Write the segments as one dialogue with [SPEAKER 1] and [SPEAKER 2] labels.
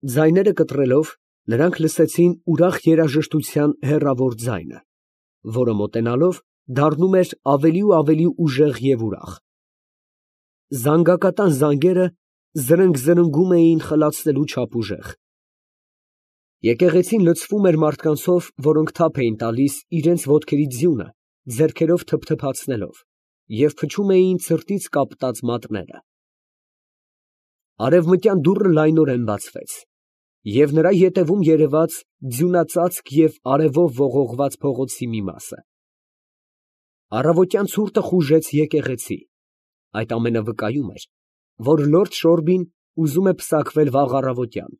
[SPEAKER 1] Ձայները կտրելով, նրանք լսեցին ուրախ երաժշտության հեռավոր ձայնը, որը մոտենալով դառնում էր ավելի ու ավելի ուժեղ և ուրախ։ Զանգակատան զանգերը զրնգ֊զրնգում էին խլացնելու չափ ուժեղ։ Եկեղեցին լցվում էր մարդկանցով, որոնք թափ էին տալիս իրենց ոտքերի ձյունը, ձեռքերով թփթփացնելով, և փչում էին ցրտից կապտած մատները։ Արևմտյան դուռը լայնորեն բացվեց, և նրա ետևում երևաց ձյունածածկ և արևով ողողված փողոցի մի մասը։ Առավոտյան ցուրտը խուժեց եկեղեցի. այդ ամենը վկայում էր, որ լորդ Շորբին ուզում է պսակվել վաղ առավոտյան,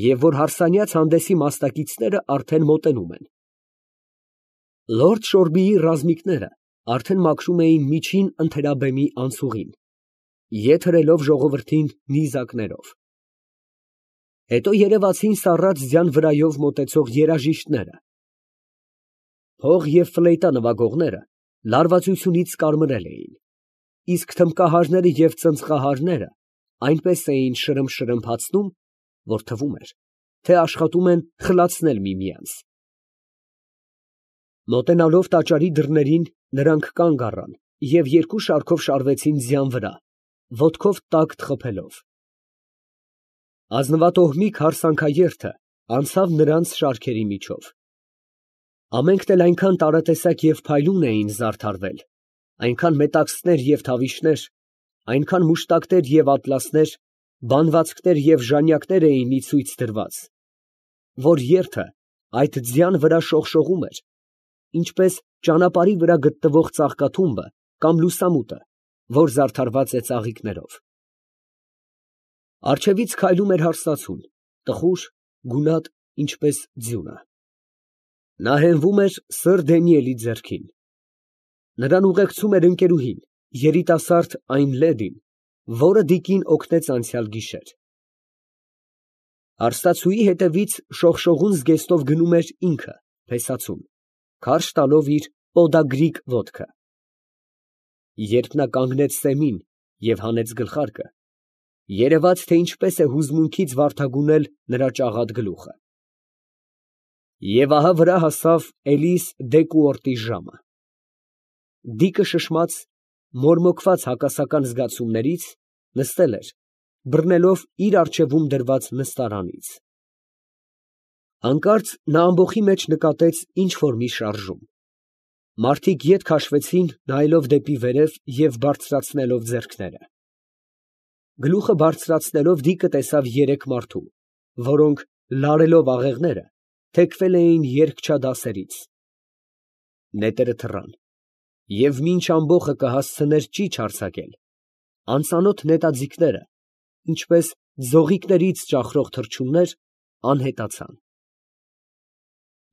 [SPEAKER 1] և որ հարսանյաց հանդեսի մասնակիցները արդեն մոտենում են։ Լորդ Շորբիի ռազմիկները արդեն մաքրում էին միջին ընթերաբեմի անցուղին, ետ հրելով ժողովրդին նիզակներով։ Հետո երևացին սառած ձյան վրայով մոտեցող երաժիշտները։ Փող և ֆլեյտա նվագողները լարվածությունից կարմրել էին, իսկ թմբկահարները և ծնծղահարները այնպես էին շրմփշրմփացնում, որ թվում էր, թե աշխատում են խլացնել միմյանց։ Մոտենալով տաճարի դռներին, նրանք կանգ առան և երկու շարքով շարվեցին ձյան վրա, ոտքով տակտ խփելով։ Ազնվատոհմիկ հարսանքաերթը անցավ նրանց շարքերի միջով։ Ամենքն էլ այնքան տարատեսակ և փայլուն էին զարդարվել, այնքան մետաքսներ և թավիշներ, այնքան մուշտակներ և ատլասներ, բանվածքներ և ժանյակներ էին ի ցույց դրված, որ երթը այդ ձյան վրա շողշողում էր, ինչպես ճանապարհի վրա գտնվող ծաղկաթումբը կամ լուսամուտը, որ զարդարված է ծաղիկներով։ Առջևից քայլում էր հարսնացուն, տխուր, գունատ, ինչպես ձյունը։ Նա հենվում էր սըր Դանիելի ձեռքին։ Նրան ուղեկցում էր ընկերուհին, երիտասարդ այն լեդին, որը տիկին օգնեց անցյալ գիշեր։ Հարսնացուի հետևից շողշողուն զգեստով գնում էր ինքը, փեսացուն, քարշ տալով իր պոդագրիկ ոտքը։ Երբ նա կանգնեց սեմին և հանեց գլխարկը, երևաց, թե ինչպես է հուզմունքից վարդագունել նրա ճաղատ գլուխը։ Եվ ահա վրա հասավ Էլիս Դեկուորտի ժամը։ Դիկը շշմած, մորմոքված հակասական զգացումներից, նստել էր, բռնելով իր առջևում դրված նստարանից։ Հանկարծ նա ամբոխի մեջ նկատեց ինչ֊որ մի շարժում։ Մարդիկ ետ քաշվեցին, նայելով դեպի վերև և բարձրացնելով ձեռքները։ Գլուխը բարձրացնելով դիկը տեսավ երեք մարդու, որոնք, լարելով աղեղները, թեքվել էին երգչադասերից։ Նետերը թռան, և մինչ ամբոխը կհասցներ ճիչ արձակել, անծանոթ նետաձիգները, ինչպես ձողիկներից ճախրող թռչուններ, անհետացան։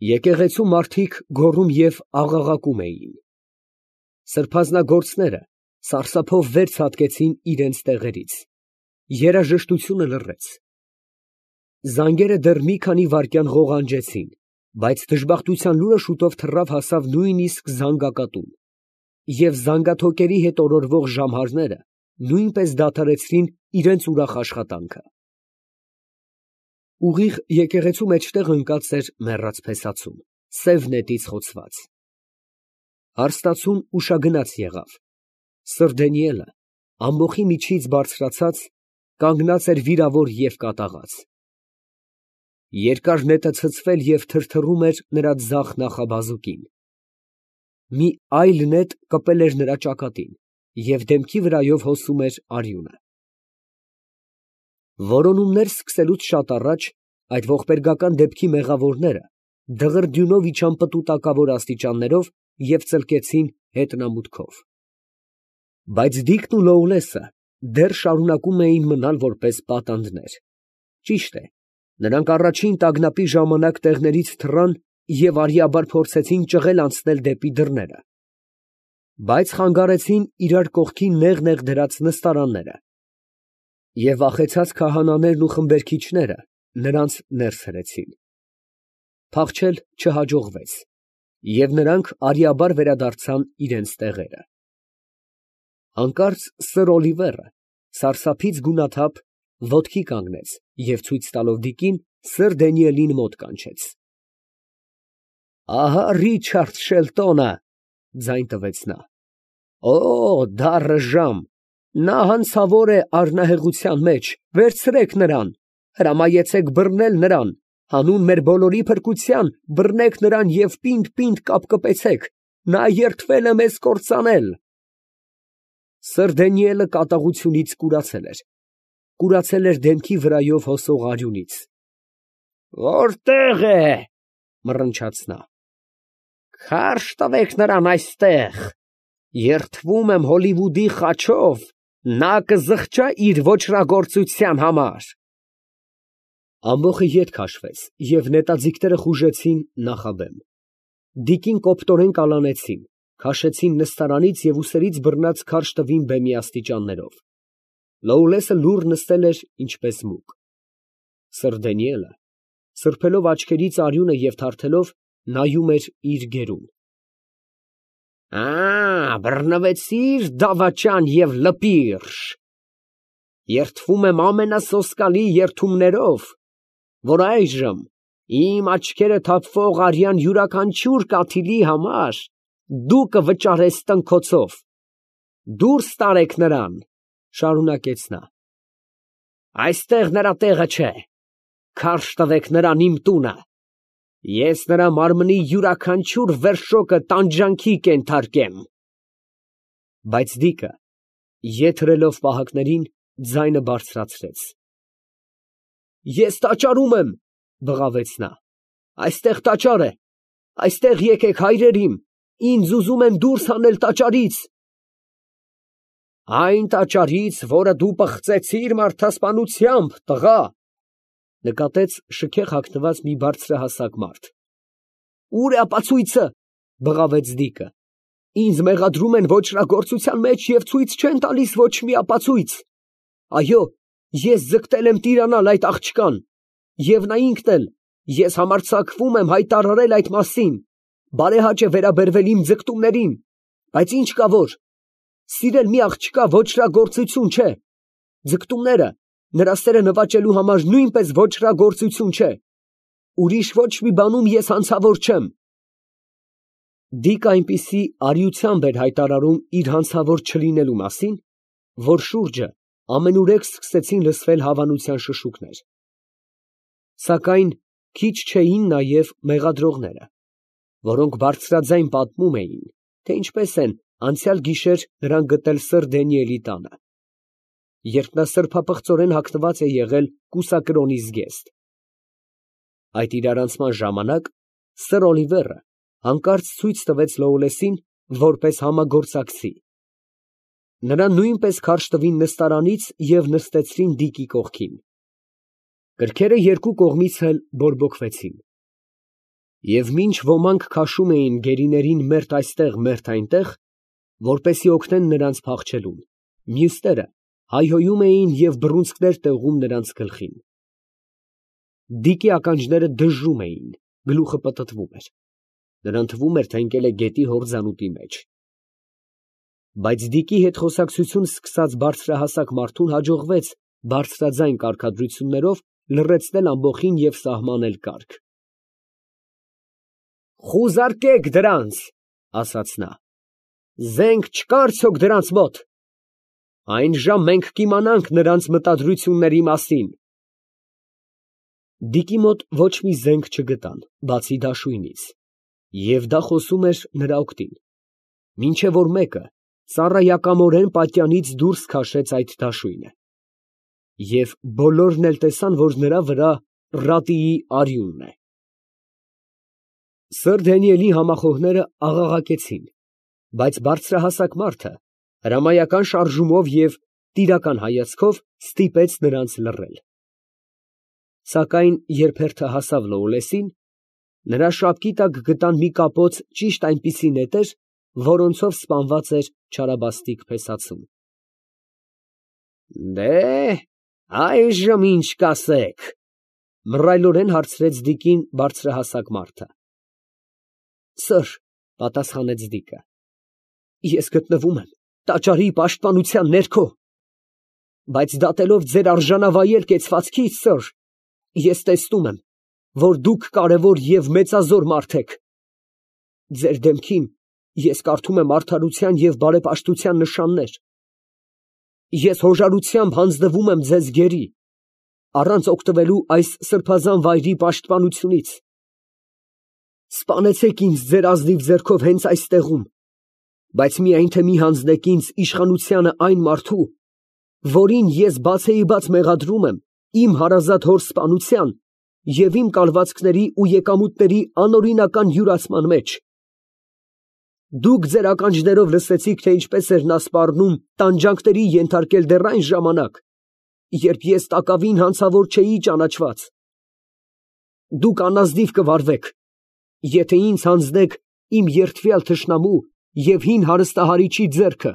[SPEAKER 1] Եկեղեցու մարդիկ գոռում և աղաղակում էին։ Սրբազնագործները սարսափով վեր ցատկեցին իրենց տեղերից, երաժշտությունը լռեց։ Զանգերը դեռ մի քանի վայրկյան ղողանջեցին, բայց դժբախտության լուրը շուտով թռավ հասավ նույնիսկ զանգակատուն, և զանգաթոկերի հետ օրորվող ժամհարները նույնպես դադարեցրին իրենց ուրախ աշխատանքը։ Ուղիղ եկեղեցու մեջտեղ ընկած էր մեռած փեսացուն, սև նետից խոցված։ Հարսնացուն ուշագնաց եղավ։ Սըր Դանիելը, ամբոխի միջից բարձրացած, կանգնած էր վիրավոր և կատաղած։ Երկար նետը ցցվել և թրթռում էր նրա ձախ նախաբազուկին։ Մի այլ նետ կպել էր նրա ճակատին և դեմքի վրայով հոսում էր արյունը։ Որոնումներ սկսելուց շատ առաջ այդ ողբերգական դեպքի մեղավորները դղրդյունով իջան պտուտակավոր աստիճաններով և ծլկեցին հետնամուտքով։ Բայց Դիկն ու Լոուլեսը դեռ շարունակում էին մնալ որպես պատանդներ։ Ճիշտ է, նրանք առաջին տագնապի ժամանակ տեղներից թռան և արիաբար փորձեցին ճղել անցնել դեպի դռները, բայց խանգարեցին իրար կողքին նեղ դրած նստարանները, և վախեցած քահանաներն ու խմբերքիչները նրանց ներս հրեցին։ Փախչել չհաջողվեց, և նրանք արիաբար վերադարձան իրենց տեղերը։ Հանկարծ սըր Օլիվերը սարսափից գունաթափ ոտքի կանգնեց և ցույց տալով Դիկին, սըր Դանիելին մոտ կանչեց։ Ահա Ռիչարդ Շելտոնը, ձայն տվեց նա։ Օ, դառը ժամ, նա հանցավոր է առնահեղության մեջ, վերցրեք նրան, հրամայեցեք բռնել նրան, հանուն մեր բոլորի փրկության, բռնեք նրան և պինդ կապկպեցեք, նա երդվել է մեզ կործանել։ Սըր Դանիելը կատաղությունից կուրացել էր դեմքի վրայով հոսող արյունից։ Որտե՞ղ է, մռնչաց նա։ Քարշ տվեք նրան այստեղ, երդվում եմ Հոլիվուդի խաչով, նա կզղջա իր ոճրագործության համար։ Ամբոխը ետ քաշվեց, և նետաձիգները խուժեցին նախաբեմ։ Դիկին կոպտորեն կալանեցին, քաշեցին նստարանից և ուսերից բռնած քարշ տվին բեմի աստիճաններով։ Լոուլեսը լուռ նստել էր ինչպես մուկ։ Սըր Դանիելը, սրբելով աչքերից արյունը և թարթելով, նայում էր իր գերուն։ Բռնվեցի՞ր, դավաճան և լպիրշ, երդվում եմ ամենասոսկալի երդումներով, որ այժմ իմ աչքերը թափվող արյան յուրաքանչյուր կաթիլի համար դու կվճարես տնքոցով։ Դուրս տարեք նրան, շարունակեց նա։ Այստեղ նրա տեղը չէ, քարշ տվեք նրան իմ տունը, ես նրա մարմնի յուրաքանչյուր վերշոկը տանջանքի կենթարկեմ։ Բայց Դիկը, ետ հրելով պահակներին, ձայնը բարձրացրեց։ Ես տաճարում եմ, բղավեց նա, այստեղ տաճար է, այստեղ եկեք հայրեր իմ, ինձ ուզում են դուրս հանել տաճարից։ Այն տաճարից, որը դու պղծեցիր մարդասպանությամբ, տղա, նկատեց շքեղ հագնված մի բարձրահասակ մարդ։ Ո՞ւր է ապացույցը, բղավեց Դիկը։ Ինձ մեղադրում են ոճրագործության մեջ և ցույց չեն տալիս ոչ մի ապացույց։ Այո, ես ձգտել եմ տիրանալ այդ աղջկան, և նա ինքն էլ, ես համարձակվում եմ հայտարարել այդ մասին, բարեհաճ է վերաբերվել իմ ձգտումներին, բայց ինչ կա որ, սիրել մի աղջկա ոճրագործություն չէ, ձգտումները, նրա սերը նվաճելու համար նույնպես ոճրագործություն չէ, ուրիշ ոչ մի բանում ես հանցավոր չեմ։ Դիկը այնպիսի արիությամբ էր հայտարարում իր հանցավոր չլինելու մասին, որ շուրջը ամենուրեք սկսեցին լսվել հավանության շշուկներ։ Սակայն քիչ չէին նաև մեղադրողները, որոնք բարձրաձայն պատմում էին, թե ինչպես են անցյալ գիշեր նրան գտել սըր Դանիելի տանը, երբ նա սրբապղծորեն հագնված է եղել կուսակրոնի զգեստ։ Այդ իրարանցման ժամանակ սըր Օլիվերը հանկարծ ցույց տվեց Լոուլեսին որպես համագործակցի։ Նրան նույնպես քարշ տվին նստարանից և նստեցրին Դիկի կողքին։ Կրքերը երկու կողմից էլ բորբոքվեցին։ Եվ մինչ ոմանք քաշում էին գերիներին մերթ այստեղ, մերթ այնտեղ, որպեսզի օգնեն նրանց փախչելուն, մյուսները հայհոյում էին և բռունցքներ տեղում նրանց գլխին։ Դիկի ականջները դժժում էին, գլուխը պտտվում էր։ Նրան թվում էր, թե ընկել է գետի հորձանուտի մեջ։ Բայց Դիկի հետ խոսակցություն սկսած բարձրահասակ մարդուն հաջողվեց բարձրաձայն կարգադրություններով լռեցնել ամբոխին և սահմանել կարգ։ Խուզարկեք դրանց, ասաց նա, զենք չկա արդյոք դրանց մոտ։ Այն ժամ մենք կիմանանք նրանց մտադրությունների մասին։ Դիկի մոտ ոչ մի զենք չգտան, բացի դաշույնից, և դա խոսում էր նրա օգտին, մինչև որ մեկը ծառայակամորեն պատյանից դուրս քաշեց այդ դաշույնը։ Եվ բոլորն էլ տեսան, որ նրա վրա ռատիի արյունն է։ Սըր Դանիելի համախոհները աղաղակեցին, բայց բարձրահասակ մարդը հրամայական շարժումով և տիրական հայացքով ստիպեց նրանց լռել։ Սակայն երբ հերթը հասավ Լոուլեսին, նրա շապկի տակ գտան մի կապոց ճիշտ այնպիսի նետեր, որոնցով սպանված էր չարաբաստիկ փեսացուն։ Այժմ ինչ կասեք, մռայլորեն հարցրեց Դիկին բարձրահասակ մարդը։ Սըր, պատասխանեց Դիկը, ես գտնվում եմ տաճարի պաշտպանության ներքո։ Բայց դատելով ձեր արժանավայել կեցվածքից, սըր, ես տեսնում եմ, որ դուք կարևոր և մեծազոր մարդ եք։ Ձեր դեմքին ես կարդում եմ արդարության և բարեպաշտության նշաններ։ Ես հոժարությամբ հանձնվում եմ ձեզ գերի, առանց օգտվելու այս սրբազան վայրի պաշտպանությունից։ Սպանեցեք ինձ ձեր ազնիվ ձեռքով հենց այստեղում, բայց միայն թե մի հանձնեք ինձ իշխանությանը այն մարդու, որին ես բացեիբաց մեղադրում եմ իմ հարազատ հոր սպանության և իմ կալվածքների ու եկամուտների անօրինական յուրացման մեջ։ Դուք ձեր ականջներով լսեցիք, թե ինչպես էր նա սպառնում տանջանքների ենթարկել դեռ այն ժամանակ, երբ ես տակավին հանցավոր չէի ճանաչված։ Դուք անազնիվ կվարվեք, եթե ինձ հանձնեք իմ երդվյալ թշնամու և հին հարստահարիչի ձեռքը։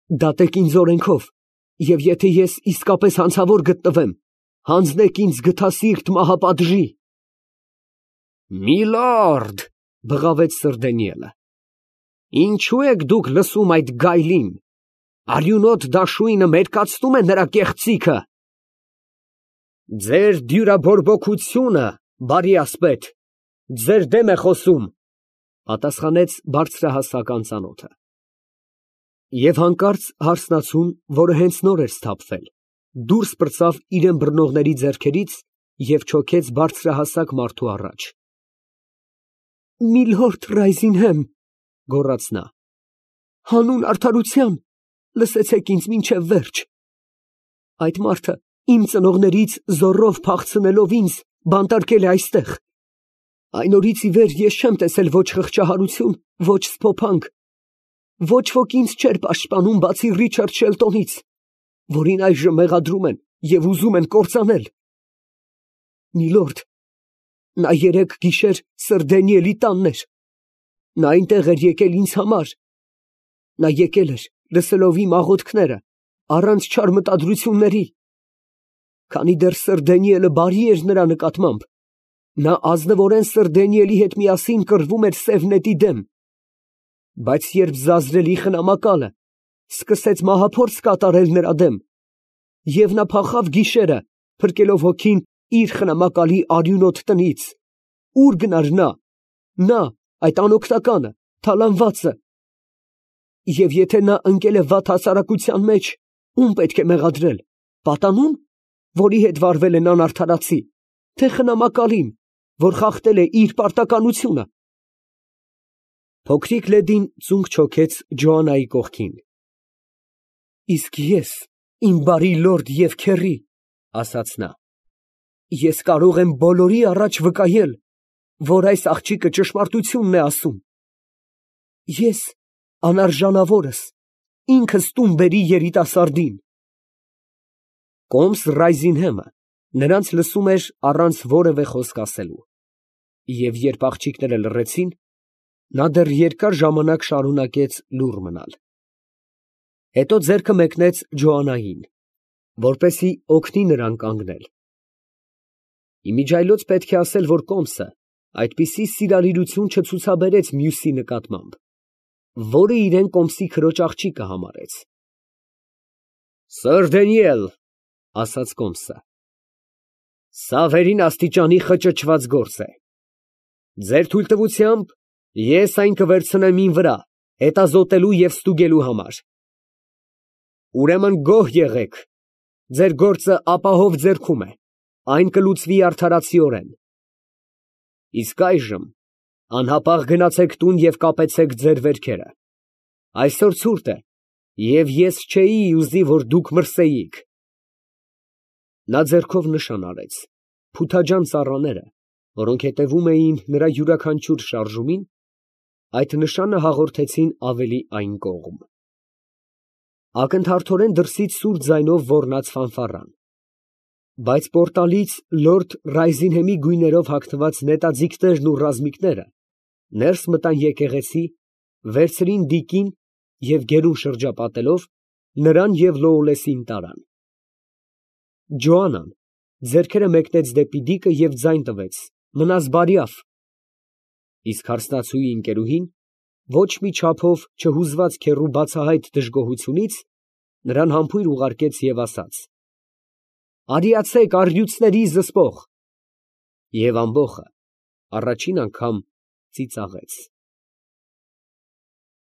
[SPEAKER 1] Դատեք ինձ օրենքով, և եթե ես իսկապես հանցավոր գտնվեմ, հանձնեք ինձ գթասիրտ մահապատժի։ Միլորդ, բղավեց սըր Դանիելը, ինչո՞ւ եք դուք լսում այդ գայլին, արյունոտ դաշույնը մերկացնում է նրա կեղծիքը։ Ձեր դյուրաբորբոքությունը, բարի ասպետ, ձեր դեմ է խոսում, պատասխանեց բարձրահասակ անծանոթը։ Եվ հանկարծ հարսնացուն, որը հենց նոր էր սթափվել, դուրս պրծավ իրան բռնողների ձեռքերից և չոքեց բարձրահասակ մարդու առաջ։ Միլորդ Ռայզինհեմ, գոռաց նա, հանուն արդարության, լսեցեք ինձ մինչև վերջ։ Այդ մարդը իմ ծնողներից զոռով փախցնելով ինձ բանտարկել է այստեղ։ Այն օրից ի վեր ես չեմ տեսել ոչ խղճահարություն, ոչ սփոփանք, ոչ ոք ինձ չէր պաշտպանում, բացի Ռիչարդ Շելտոնից, որին այժմ մեղադրում են և ուզում են կործանել։ Միլորդ, նա երեկ գիշեր սըր Դանիելի տանն էր։ Նա այնտեղ էր եկել ինձ համար։ Նա եկել էր, լսելով իմ աղոթքները, առանց չար մտադրությունների։ Քանի դեռ սըր Դանիելը բարի էր նրա նկատմամբ, նա ազնվորեն սըր Դանիելի հետ միասին կռվում էր սև նետի դեմ։ Բայց երբ Զազրելի խնամակալը սկսեց մահափորձ կատարել նրա դեմ, և նա փախավ գիշերը, փրկելով հոգին իր խնամակալի արյունոտ տնից, ուր գնար նա, այդ անօգնականը, թալանվածը։ Եվ եթե նա ընկել է վատ հասարակության մեջ, ում պետք է մեղադրել, պատանու՞ն, որի հետ վարվել են անարդարացի, թե խնամակալին, որ խախտել է իր պարտականությունը։ Փոքրիկ լեդին ծունկ չոքեց Ջոաննայի կողքին։ Իսկ ես, իմ բարի լորդ և քեռի, ասաց նա, ես կարող եմ բոլորի առաջ վկայել, որ այս աղջիկը ճշմարտությունն է ասում։ Ես, անարժանավորս, ինքս տուն բերի երիտասարդին։ Կոմս Ռայզինհեմը նրանց լսում էր առանց որևէ խոսք ասելու, և երբ աղջիկները լռեցին, նա դեռ երկար ժամանակ շարունակեց լուռ մնալ։ Հետո ձեռքը մեկնեց Ջոաննային, որպեսզի օգնի նրան կանգնել։ Իմիջիայլոց պետք է ասել, որ Կոմսը այդպիսի սիրալիրություն չցուցաբերեց մյուսի նկատմամբ, որը իրան Կոմսի քրոջ աղջիկը համարեց։ Սըր Դանիել, ասաց Կոմսը, սա վերին աստիճանի խճճված գործ է։ Ձեր թույլտվությամբ ես այն կվերցնեմ իմ վրա, հետազոտելու և ստուգելու համար։ Ուրեմն գոհ եղեք, ձեր գործը ապահով ձեռքում է, այն կլուծվի արդարացիորեն։ Իսկ այժմ անհապաղ գնացեք տուն և կապեցեք ձեր վերքերը։ Այսօր ցուրտ է, և ես չէի ուզի, որ դուք մրսեիք։ Նա ձեռքով նշան արեց, փութաջան ծառաները, որոնք հետևում էին նրա յուրաքանչյուր շարժումին, այդ նշանը հաղորդեցին ավելի այն կողմ։ Ակնթարթորեն դրսից սուր ձայնով ոռնաց ֆանֆառան, բայց պորտալից լորդ Ռայզինհեմի գույներով հագնված նետաձիգներն ու ռազմիկները ներս մտան եկեղեցի, վերցրին դիկին և գերուն շրջապատելով, նրան և Լոուլեսին տարան։ Ջոաննան ձեռքերը մեկնեց դեպի դիկը և ձայն տվեց. «Մնաս բարյավ»։ Իսկ հարսնացուի ընկերուհին, ոչ մի չափով չհուզված քեռու բացահայտ դժգոհությունից, Նրան համբույր ուղարկեց և ասաց. «Արիացեք առյուծների զսպող»։ Եվ ամբոխը առաջին անգամ ծիծաղեց։